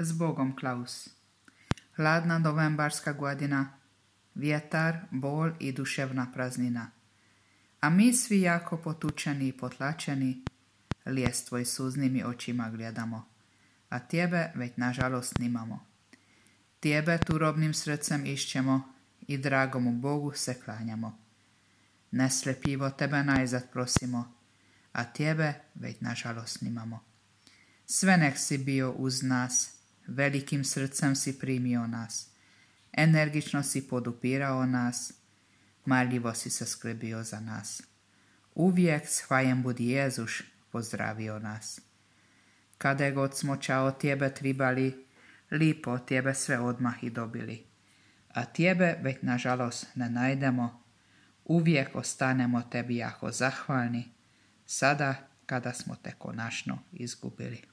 Zbogom, Klaus. Hladna novembarska godina, vjetar, bol i duševna praznina. A mi svi jako potučeni i potlačeni, lijes tvoj suznim očima gledamo, a tjebe već nažalost nimamo. Tjebe turobnim srcem išćemo i dragomu Bogu se klanjamo. Neslepivo tebe najzad prosimo, a tjebe već nažalost nimamo. Sve nek si bio uz nas, velikim srcem si primio nas, energično si podupirao nas, marljivo si se skrbio za nas. Uvijek s hvajem budi Jezuš pozdravio nas. Kada god smo čao tjebe tribali, lipo tjebe sve odmah i dobili. A tjebe već nažalost ne najdemo, uvijek ostanemo tebi jako zahvalni, sada kada smo te konačno izgubili.